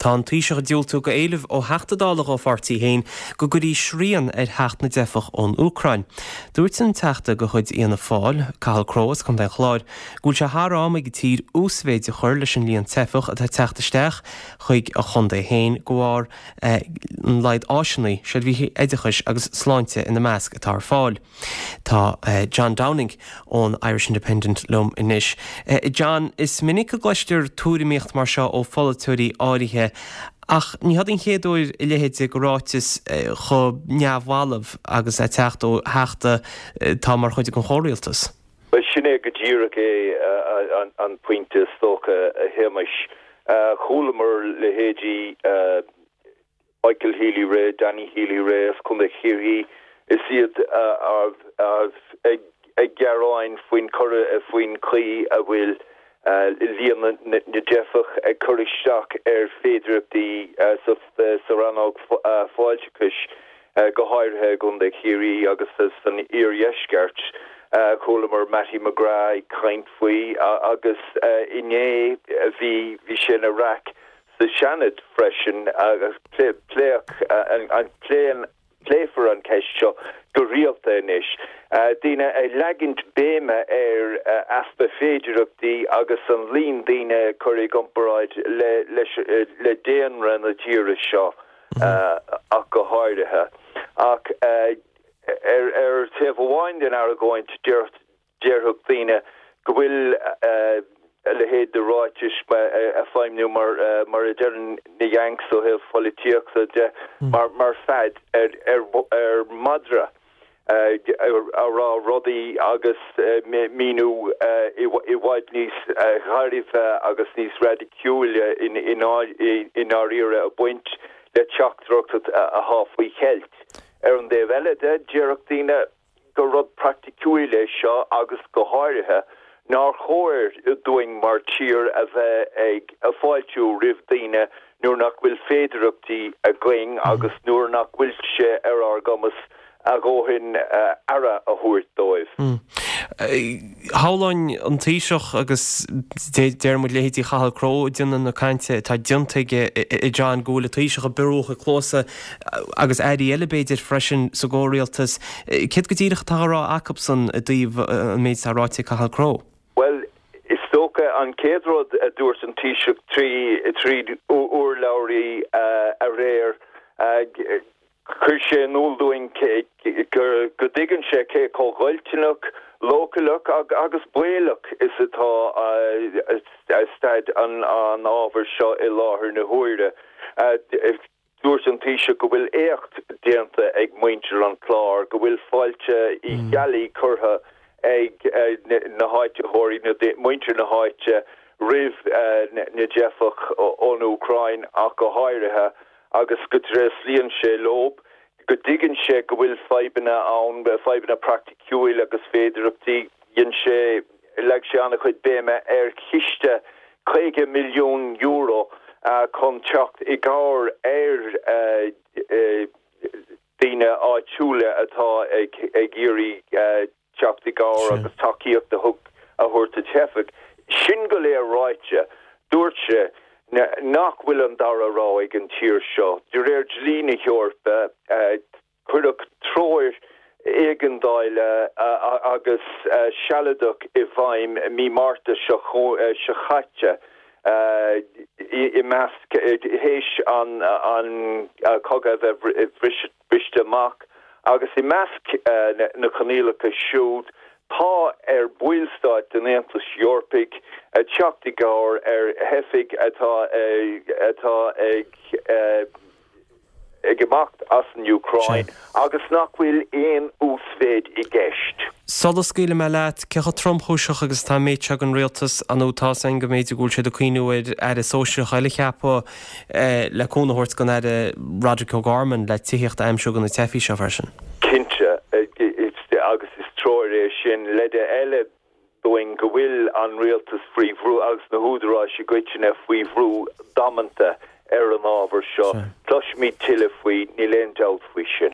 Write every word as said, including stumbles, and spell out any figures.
Tá an Taoiseach ag diúltú go éileamh ó Theachta Dála dá pháirtí féin go gcuirfí srian ar theacht na dteifeach ón Úcráin. Dúirt an Teachta de chuid Fhianna Fáil, Cathal Crowe as Contae an Chláir, go bhfuil sé thar am ag an tír uasmhéid a chur leis an líon teifeach atá ag teacht isteach chuig a chontae féin de bharr an laghad áiseanna, seirbhísí oideachais agus sláinte ina measc atá ar fáil. Tá John Downing ón Irish Independent liom anois. John, is minic a gcloistear tuairimíocht mar seo ó pholaiteoirí áirithe ach ní hé an chéad uair a leithéid de ráiteas chomh neamhbhalbh agus a teacht ó theachta atá mar chuid den chomhrialtas. Well sin é go díreach é an pointe is dócha a Shéamais. Chualamar leithéidí Michael Healy-Rae, Danny Healy-Rae as Contae Chiarraí is iad ag gearán faoin faoin chaoi a bhfuil líon na dteifeach ag cur isteach ar féidearthachtaí sa rannóg fáilteachais go háirithe i gContae Chiarraí agus san iardheisceart. Chualamar Mattie McGrath ag caint faoi agus inné bhí bhí sé ina raic sa Seanad freisin agus pléadh an pléan pléifear an ceist seo go rialta anois. Daoine ag leagan béime ar easpa féidearthachtaí agus an líon daoine cur i gcomparáid le le daonra na tíre seo ach go háirithe. Ach ar ar taobh amháin den argóint déarfadh daoine go bhfuil a leithéid de ráitis ag feidhmiú mar mar a deireann na Yanks ó thaobh polaitíochta de mar mar fead ar ar ar madra a rá rudaí agus míniú i bhfad níos gairbhe agus níos raidiciúla in i ndáiríre a baint le teachtaireacht atá faoi cheilt. Ar an dtaobh eile de déarfadh daoine gur rud praiticiúil é seo agus go háirithe nár chóir dúinn mar tír a bheith ag fáiltiú roimh daoine nuair nach bhfuil féidearthachtaí againn agus nuair nach bhfuil sé ar ár gcumas a dhóthain aire a thabhairt dóibh. Shamhlóinn an Taoiseach agus deir muid leithéidí Chathal Crowe ag déanamh na cainte atá déanta aige a John go bhfuil an Taoiseach ag biorú a chuid cluasa agus airí eile b'fhéidir freisin sa gcomhrialtas. Céard go díreach atá á rá acusan i dtaobh an méid atá ráite ag Cathal Crowe? Well, is dócha an chéad rud a dúirt an Taoiseach trí trí urlabhraí aréir chuir sé in iúl dúinn go dtuigeann sé cé chomh goilliúnach, leochaileach agus baolach is atá staid an an ábhair seo i láthair na huaire. Dúirt an Taoiseach go bhfuil éacht déanta ag muintir an Chláir, go bhfuil fáilte Uí Cheallaigh curtha ag na háititheoirí muintir na háite roimh na teifigh ón Úcráin ach go háirithe agus go dtréaslaíonn sé leo, go dtuigeann sé go bhfuil fadhbanna ann, fadhbanna praiticiúil agus féidearthachtaí dhein sé leag sé an-chuid béime ar chiste caoga milliún euro chun teacht i gcabhair ar daoine áitiúla atá ag ag iarraidh teacht i gcabhair agus tacaíocht a thug a thabhairt do theifigh. Sin go léir ráite, dúirt sé nach bhfuil an dara rogha ag an tír seo. De réir dlí na hEorpa cuireadh treoir éigeandála agus sealadach i bhfeidhm mí Márta seo seo caite i measc théis an an cogadh a bheith briste amach agus i measc na coinníollacha siúd tá ar bhallstáit den Aontas Eorpaigh teacht i gcabhair ar theifigh atá atá ag ag imeacht as an Úcráin agus nach bhfuil aon uasmhéid i gceist. Sula scaoilfidh mé leat, cé chomh tromchúiseach agus atá an méid seo den rialtas an tá sin go mb'fhéidir go bhfuil siad ag cuimhniú ar aire sóisearach eile a cheapadh le cúnamh a thabhairt don aire Roderick O'Gorman le tithíocht a aimsiú do na teifigh seo freisin. Cinnte agus is treoir é sin leide eile dúinn go bhfuil an rialtas faoi bhrú agus na húdaráis i gcoitinne faoi bhrú damanta ar an ábhar seo. Cloisfimid tuilleadh faoi níl aon dabht faoi sin.